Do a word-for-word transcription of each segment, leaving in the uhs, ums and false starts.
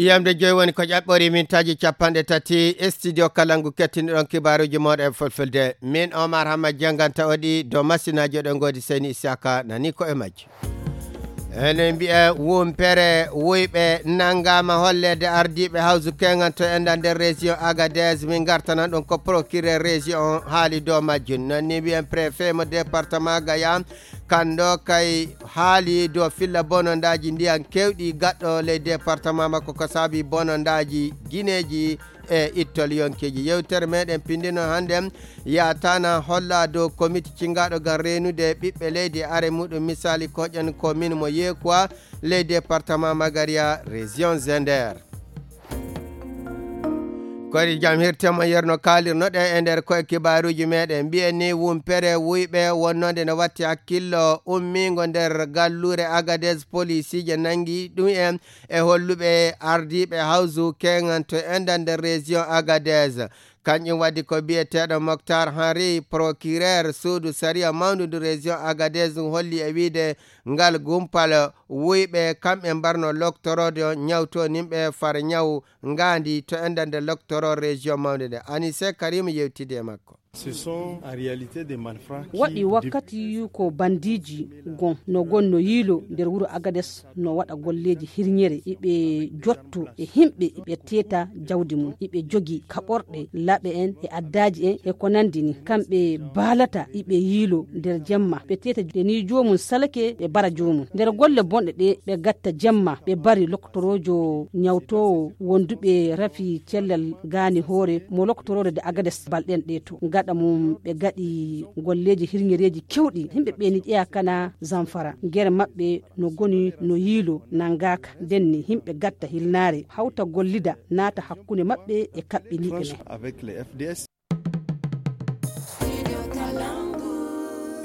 Yamde joyi woni ko ƴaɓɓori mintaaji capanɗe tati e studio Kalangu kettiniɗon kibaaruuji mooɗon e fulfulde. Min Omar Hamma jannganta oɗi dow masinaaji oɗon ngoodi Seyni Isaka nani ko e majji. Ene mbiya wumpere wuyɓe nanngaama holleede ardiiɓe hawsu keŋan to enda nder région Agadez. Min ngartanan ɗum ko procureur région on haali dow majjum. Noon ni mbiyen préfet mo département Gaya, kanndo kay haali dow filla bonondaaji ndiyan keewɗi gaɗɗo ley département makko ko saabi bonondaaji gineeji e ittol yonkeeji. Yewtere meɗen pindino hannden yaatana holla dow komiti cingaɗo ngam reenude ɓiɓɓe leydi e are muɗum, misali koƴen ko min mo Yekuwa ley département Magaria, région Zender. Koyɗe jam hirtema yerno kaalirno ɗe e nder koye kibaaruuji meɗen. Mbiyen ni wumpere wuyɓe wonnode no watti hakkillo ummingo nder galluure Agadez, polisiije nangi ɗum en e holluɓe ardiiɓe hawsu keŋan to enda nder région Agadez. Kanƴum waɗi ko biyeteeɗo Moctar Henry, procureur suudu sariya mawndu ndu région Agadez, ɗum holli e wiide ngal gumpal wuyɓe kamɓe mbarno loktoroode ñawtonimɓe far ñaw ngaandi to enda nde loktoro région mawnde nde. Anise Karim yewtidi e makko. Ce sont en réalité des malfrats qui, waɗi wakkati ko bandiiji gon no gon no yiilo nder wuro Agades, no waɗa golleeji hirñere, iɓe jotto e himɓe, iɓe teeta jawdi mum, iɓe jogi kaɓorɗe laɓe en e addaaji en e ko nandi ni. Kamɓe baalata iɓe yiilo nder jemma, ɓe teeta de ni joomum salake, ɓe bara joomum. Nder golle bonɗe ɗe, ɓe gatta jemma, ɓe bari loktoroojo ñawtoowo wonduɓe rafi cellal gaani hoore mo loktoroodo de Agades balɗen ɗe to. Gaɗa mum ɓe gaɗi golleeji hirñereeji kewɗi. Himɓe ɓe ni ƴeya kana Zamfara. Gere maɓɓe no goni no yiilo nangaaka. Nden ni himɓe gatta hilnaare, hawta gollida, naata hakkunde maɓɓe e kaɓɓiniiɓe men. Avec les F D S.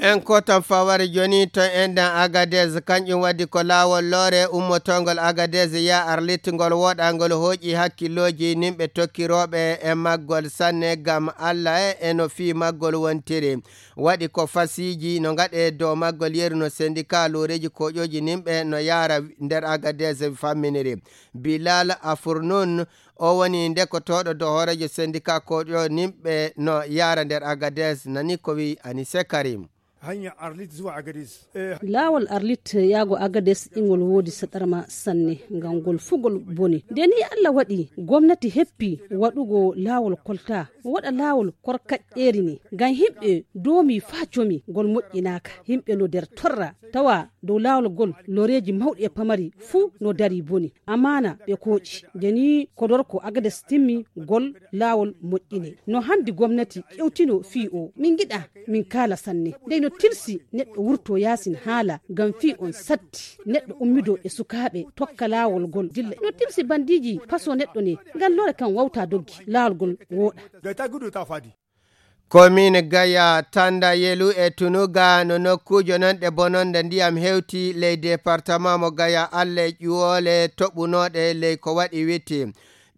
En kotan faware joni to enɗan Agadez, kanƴum waɗi ko laawol loore ummotongol Agadez ya Arlit ngol woɗangol hooƴi hakkillooji nimɓe tokkirooɓe e maggol sanne, gam Alla e, e no fii maggol wontiri. Waɗi ko fasiiji no gaɗe dow maggol yeru no sendika looreeji koƴooji nimɓe no yaara nder Agadez famminiri. Bilal Afurnun, o woni ndekotooɗo dow hooreejo sendika koƴo nimɓe no yaara nder Agadez, nani ko wi Anise Karim. Hanya Arlit zuwa Agadez. Eh, laawol Arlit yaago Agades ingol woodi saɗarma sanne, ngam ngol fuu ngol boni. Nde ni Allah waɗi gomnati heppi waɗugo laawol kolta, o waɗa laawol korkaƴƴeeri ni, ngam himɓe doomi faa comi, ngol moƴƴinaaka. Himɓe no nder torra, tawa dow laawol ngol looreeji mawɗi e pamari fuu no dari boni. Amaana ɓe kooƴi. Nde ni Kodorko Agades timmi, ngol laawol moƴƴine. No handi gomnati ƴewtino fii o. Min ngiɗa min kaala sanne. Ndey no tilsi neɗɗo wurto yaasin haala, ngam fii on satti. Neɗɗo ummido e sukaaɓe tokka laawol ngol dilla. No tilsi bandiiji paso neɗɗo ne, ngam lore kan wawta doggi, laawol ngol wooɗa. Komin Gaya, Tanda, Yelu e Tunuga no nokkuujo non ɗe bononde ndiyam hewti ley departement mo Gaya, alle ƴuwoole toɓunooɗe ley ko waɗi witti.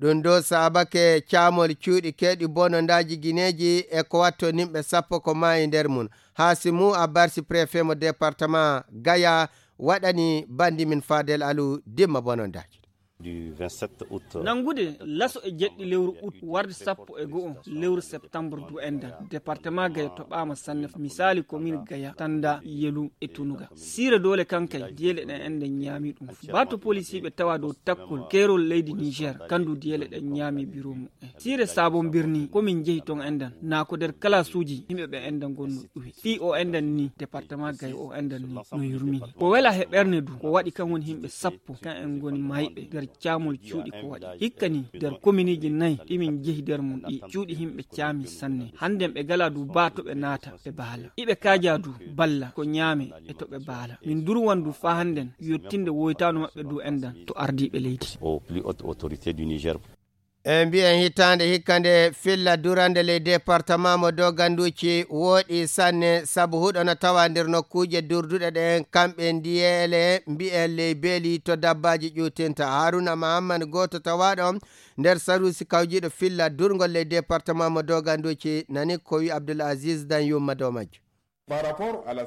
Ɗum ɗo saabake caamol cuuɗi keewɗi bonondaaji gineeji e ko watto nimɓe sappo ko maayi nder mum. Hasimu Abarsi, préfet mo département Gaya, waɗani bandi min Fadel Alu dimma bonondaaji. Du vingt-sept août. Nanngude laso e jeɗɗi lewru août warde sappo e go'o lewru septembre du enɗan, département Gaya toɓaama sanne, misali commune Gaya, Tanda, Yelu e Tunuga. Siire doole kankay diyeele ɗen enɗan ñaami ɗum. Baato polisiiɓe tawa dow takkol keerol leydi Niger, kandu diyeele ɗen ñaami biro mum. Siire Sabon Birni, ko min jehi ton enɗan, naa ko nder kalaasuuji yimɓe ɓe enɗan ngonno ɗuwi. Fii o enɗan ni, département Gaya o enɗan ni, no yurmini. Ko wela he ɓerne du, ko waɗi kan woni yimɓe sappo, kan en ngoni mayɓe nder caamol cuuɗi ko waɗi. Hikka ni, nder kominiji nayi ɗi min jehi nder mum ɗi, cuuɗi yimɓe caami sanne. Hannden ɓe gala du baa to ɓe naata, ɓe baala. Iɓe kaaja du balla ko ñaame e to ɓe baala. Min durwan du faa hannden yottinde woytaano maɓɓe du enɗan to ardiiɓe leydi. Aux plus hautes autorités du Niger. E mbiyen hitaande hikka nde filla durande ley département mo Doganduci wooɗi sanne, sabu huɗo no tawa nder nokkuuje durduɗe ɗen, kamɓe ndiyeele mbiyen ley beeli to dabbaaji ƴuutinta. Haruna Mahamman, gooto tawaaɗo nder saruusi kawjiiɗo filla durngol ley département mo Doganduci, nani ko wi Abdul Aziz Dan Yumma dow majjum.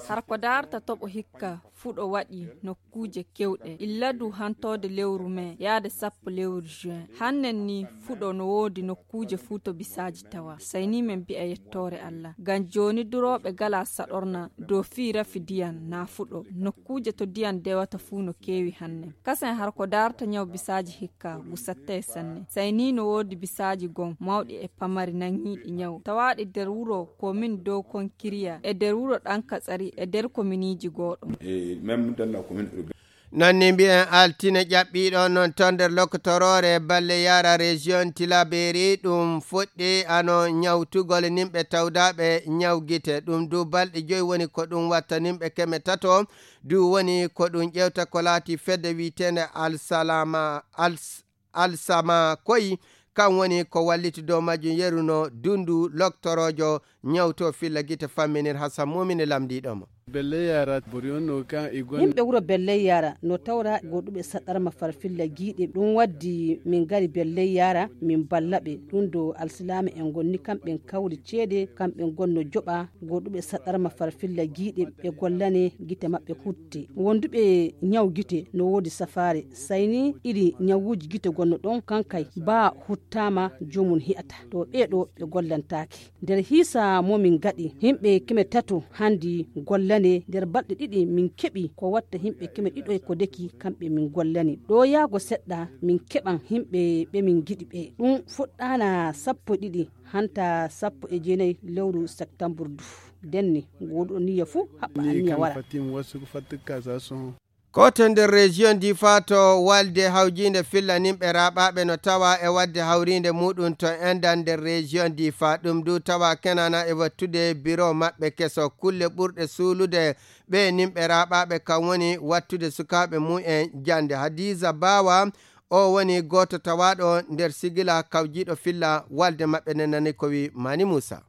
Har ko daarta toɓo hikka, fuɗo waɗi nokkuuje kewɗe illa du hantoode lewru mee yaade sappo lewru juin. Hannen ni fuɗo no woodi nokkuuje fuu to bisaaji tawa. Sayni men mbi'a yettoore Allah. Ngam jooni durooɓe gala saɗorna dow fii rafi diyan naa fuɗo. Nokkuuje to diyan dewata fuu no keewi hannen. Kasen har ko daarta nyaw bisaaji hikka, ngu sattay sanne. Sayni no woodi bisaaji gon mawɗi e pamari nangiiɗi nyaw tawaaɗi nder wuro komin dow konkiriya e nder wuro ɗan katsari e nder kominiiji gooɗo. Nanni mbi'en altine ƴaɓɓiiɗo noon to nder lokotoroore balle yara région tilaberi ɗum fuɗɗi ano ñawtugol nimɓe tawdaaɓe ñaw gite. Ɗum du balɗe joyi woni ko ɗum watta nimɓe keme tato du woni ko ɗum ƴewta ko laati fedde wiyeteende alsalama als alsama koyi. Kan woni ko walliti dow majjum yeru no dundu loktoroojo ñawto filla gite famminir hasan mumini lamdiiɗo mo. Yimɓe wuro belley yara no tawra goɗuɓe saɗarma farfilla giiɗe ɗum waddi min ngari belley yara min balla ɓe ɗum do alsilaama en gonni kamɓen kawri ceede kamɓen gonno joɓa goɗuɓe saɗarma farfilla giiɗe ɓe gollane gite maɓɓe hutte wonduɓe ñaw gite no woodi safaare sayni iri ñawuuji gite gonno ɗon kankay baa huttaama joomum hi'ata to ɓeeɗo ɓe gollantaake. Nder hiisa mo min gaɗi himɓe keme tato handi gollane nder balɗe ɗiɗi min keɓi ko watta himɓe keme ɗiɗo e ko deki kamɓe min gollani ɗo yaago seɗɗa min keɓan himɓe ɓe min giɗi ɓe ɗum fuɗɗana sappo e ɗiɗi hanta sappo e jeenayi lewru septambur du. Denni gooduɗo niyya fuu haɓɓa anniya wara. Koto nder région difa to walde hawjinde filla nimɓe raɓaɓe no tawa e wadde hawrinde muɗum to endan nder région difa ɗum du tawa kenana e wattude biro maɓɓe keso kulle ɓurɗe suulude ɓe nimɓe raɓaɓe kam woni wattude sukaɓe mumen jande hadiza bawa. O woni goto tawaɗo nder sigila kawjiɗo filla walde maɓɓe nenani ko wi mani musa.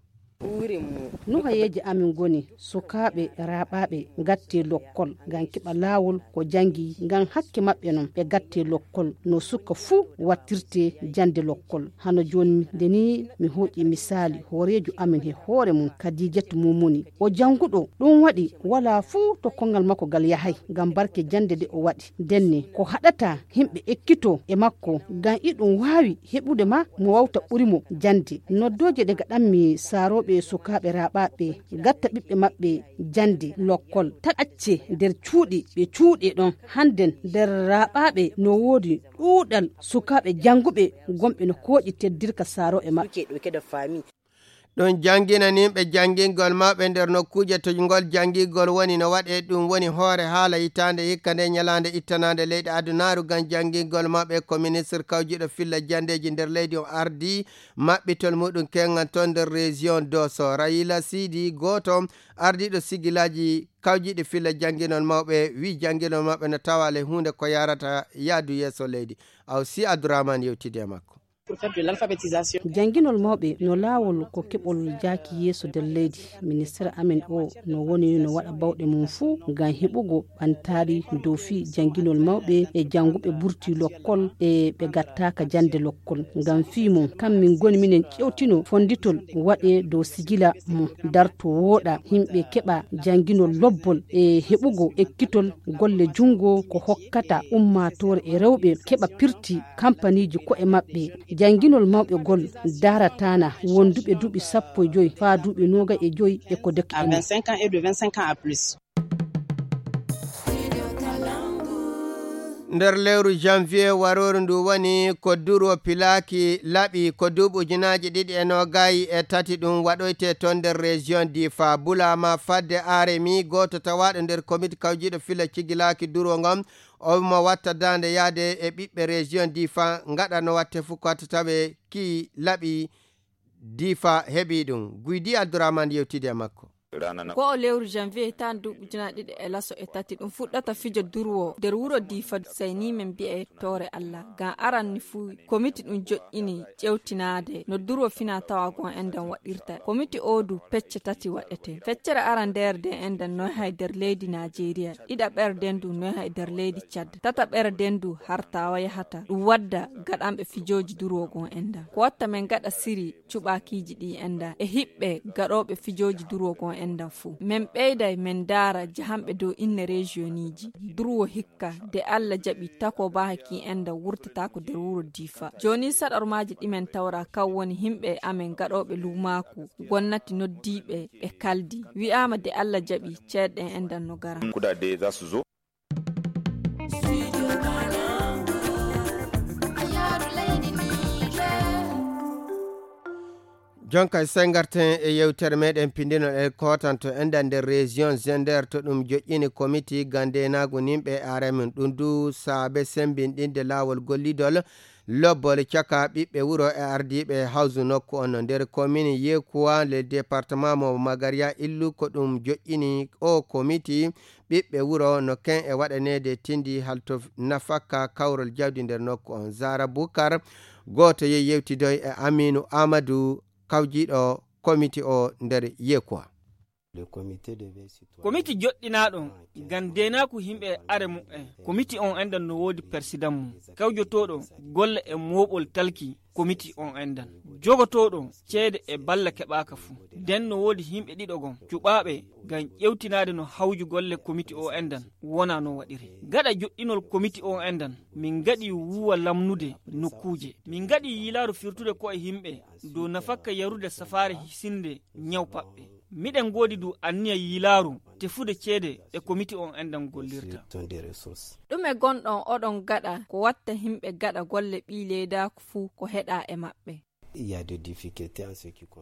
Nuhayeeji amin ngoni sukaaɓe raaɓaaɓe ngattee lokkol ngam keɓa laawol ko janngi ngam hakke maɓɓe non ɓe ngattee lokkol no suka fuu wattirtee jannde lokkol. Hano jooni nde nii mi hooƴi misaali hooreejo amin he hoore mum Kadiijatu Mumuni. O jannguɗo ɗum waɗi walaa fuu to konngal makko ngal yahay ngam barke jannde nde o waɗi. Ndenne ko haɗata yimɓe ekkitoo e makko ngam iɗum waawi heɓude ma mo wawta ɓuri mo jannde. Noddooje ɗe ngaɗanmi saarooɓe sukaaɓe raaɓaaɓe ngatta ɓiɓɓe maɓɓe jannde lokkol ta acce nder cuuɗi ɓe cuuɗe ɗon hannden nder raaɓaaɓe no woodi ɗuuɗal sukaaɓe jannguɓe gonɓe no kooƴi teddirka saarooɓe maɓɓe. Ɗum jannginaniiɓe janngingol mawɓe nder nokkuuje to ngol janngingol woni no waɗee ɗum woni hoore haala hitaande hikka nde ñalaande ittanaande leyɗe adunaaru ngam janngingol mawɓe ko ministre kawjiiɗo filla janndeeji nder leydi on ardii maɓɓitol muɗum keŋŋan toon nder région doso rayila siidi gooto ardiiɗo sigilaaji kawjiiɗi filla jannginol mawɓe wii jannginol mawɓe no tawa le huunde ko yarata yaadu yeeso leydi aw si abdourahmane yewtidi e makko. Jannginol mawɓe no laawol ko keɓol jaaki yeeso nder leydi. Ministere amen o no woni no waɗa bawɗe mum fuu ngam heɓugo ɓantaari dow fii jannginol mawɓe e jannguɓe burti lokkol e ɓe gattaaka jannde lokkol. Ngam fii mum kam min ngoni minen ƴewtino fonnditol waɗee dow sigila mum darto wooɗa yimɓe keɓa jannginol lobbol e heɓugo ekkitol golle junngo ko hokkata ummaatoore e rewɓe keɓa pirti kampaniiji ko'e maɓɓe. Jannginol mawɓe gol daarataana wonduɓe duuɓi sappo e joy faa duuɓi noogay e joy e ko doki e mum. Nder lewru janvier warooru ndu woni ko durwo pilaaki laɓi ko duuɓi ujunaaji ɗiɗi e noogay e tati ɗum waɗoyte toon nder région difa bulaama fadde aremi gooto tawaaɗo nder komite kawjiiɗo fila cigilaaki durwo ngon. Omo watta daande yahde e ɓiɓɓe région difa ngaɗa no watte fuu ko watta tawe ki laɓi difa heɓi ɗum guydi abdourahmane yewtidi e makko. Ko o lewru janvier hitaande duuɓi ujunaaji ɗiɗi e laso e tati ɗum fuɗɗata fijo durwo nder wuro difa sayni men mbiya yettoore allah ngam aranni fuu komiti ɗum joƴƴini ƴewtinaade no durwo fina tawa gon enɗan waɗirta komiti o du pecce tati waɗete feccere arandeere nden enɗan noy hay nder leydi najeriya ɗiɗaɓere nden du noy hay nder leydi cad tataɓere nden du har tawa yahata ɗum wadda gaɗanɓe fijooji durwo gon enɗan ko watta men gaɗa siri cuɓaakiiji ɗi enɗan e hiɓɓe gaɗooɓe fijooji durwo gon Enɗan fuu. Men ɓeyday men ndaara jahanɓe dow inne reziyoŋiiji. Durwo hikka, de Alla jaɓi, takoo baa hakii enɗan wurtataako der wuro Diifa. Jooni saɗormaaji ɗi men tawra kaw woni himɓe amen gaɗooɓe luumaaku, gomnati noddii ɓe, ɓe kaldii. Wi'aama de Alla jaɓi, ceede ɗen enɗan no gara. Jonka e sey ngarten e yewtere meɗen pindinol e kootanto enɗan nder région Zender to ɗum joƴƴini komiti gam ndeenaagu nimɓe e aremin ɗum du saabe sembinɗinde laawol gollidol lobbol caka ɓiɓɓe wuro e ardiiɓe hawsu nokku on no nder komini Yekuwa le département mo Magaria illu ko ɗum joƴƴini o komiti ɓiɓɓe wuro no ken e waɗaneede tindi halto nafakka kawrol jawdi nder nokku on. Zara Bukar gooto yehi yewtidoy e Aminu Amadu kawjiiɗo komiti o nder Yekuwa. Komiti joɗɗinaaɗo ngam deenaaku yimɓe e are muɓɓen. Komiti on enɗan no woodi persidan mum kawjotooɗo golle e mooɓol talki komiti on enɗan, jogotooɗo ceede e balla keɓaaka fuu. Nden no woodi yimɓe ɗiɗo gon cuɓaaɓe ngam ƴewtinaade no hawju golle komiti o enɗan wona no waɗiri. Gaɗa joɗɗinol komiti o enɗan, min ngaɗi wuuwa lamnude nokkuuje. Min ngaɗi yiilaaru firtude ko'e yimɓe dow nafakka yarude safaare hisinde ñaw paɓɓe. Miɗen ngoodi du anniya yiilaaru tefude ceede ɗe komiti on enɗan gollirta. Ɗume gonɗon oɗon gaɗa ko watta yimɓe gaɗa golle ɓii leedaaku fuu ko heɗaa e maɓɓe?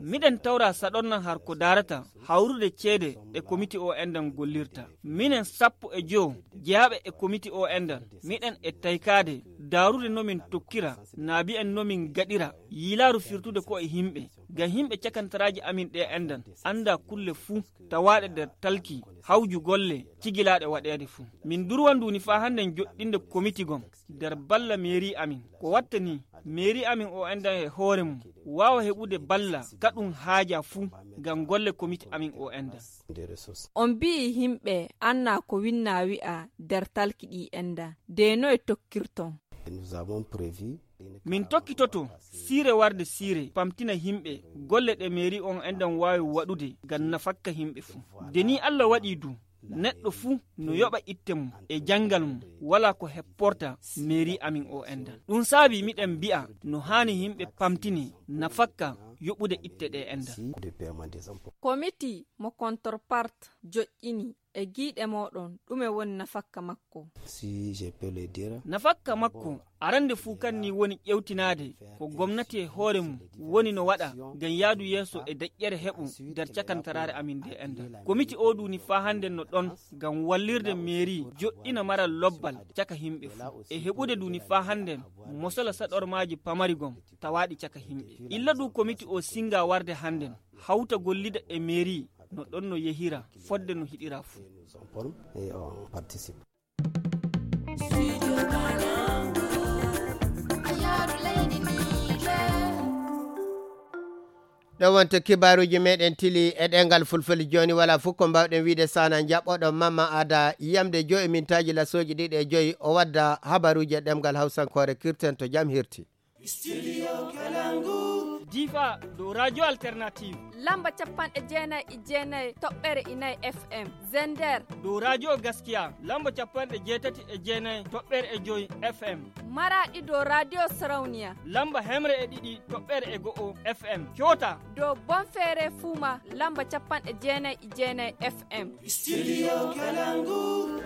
Miɗen tawra saɗornan har ko daarata hawrude ceede ɗe komiti o enɗan gollirta. Minen sappo e jowo jeyaaɓe e komiti o enɗan, miɗen e taykaade daarude no min tokkira naabi'en no min gaɗira yiilaaru firtude ko'e yimɓe. Ngam yimɓe cakantaraaji amin ɗe enɗan annda kulle fuu tawaaɗe nder talki hawju golle cigilaaɗe waɗeede fuu. Min durwan duuni faa hannden joɗɗinde komiti gon nder balla meeri amin. Ko watta ni meeri amin o enɗan e hoore mum waawa heɓude balla ka ɗum haajaa fuu ngam golle komiti amin o enɗan. On mbi'i yimɓe annaa ko winnaa wi'aa nder talki ɗi enɗan, de noye tokkirton? Min tokkitoto siire warde siire pamtina yimɓe golle ɗe meeri on enɗan waawi waɗude ngam nafakka yimɓe fuu. De ni Alla waɗi du neɗɗo fuu no yoɓa itte mum e janngal mum walaa ko hepporta meeri amin o enɗan. Ɗum saabi miɗen mbi'a no haani yimɓe pamtini nafakka yoɓude itte ɗe enɗan. Komiti mo contrepartie joƴƴini e giiɗe mooɗon ɗume woni nafakka makko? Nafakka makko arande fuu kan ni woni ƴewtinaade ko gomnati e hoore mum woni no waɗa ngam yaadu yeeso e deƴƴere heɓu nder cakantaraare amin nde enɗan. Komiti o duuni faa hannden no ɗon ngam wallirde meeri joɗɗina maral lobbal caka yimɓe fuu e heɓude duuni faa hannden mosola saɗormaaji pamari gom tawaaɗi caka yimɓe. Illa du komiti o singa warde hannden hawta gollida e meeri no ɗon no yehira fodde no hiɗira fuu. Ɗo wonto kibaaruuji meɗen tili e ɗengal fulfulde. Jooni wala fof ko mbawɗen wiide sana jaɓɓoɗo Mama Ada yamde joyi mintaaji lasooji ɗiɗi e joyi o wadda habaruuji e ɗemgal hawsankoore. Kirten to jam hirti. Difa dow radio alternative. Lamba capanɗe jeenayi e jeenayi toɓɓere inayi F M. Zender. Dow radio gaskiya lamba capanɗe jeetati e jeenayi toɓɓere e joyi F M. Maraɗi dow radio sarauniya. Lamba hemre e ɗiɗi toɓɓere e go'o F M. Coota. Dow bonfere fuma lamba capanɗe jeenayi e jeenayi F M. Studio Kalangu.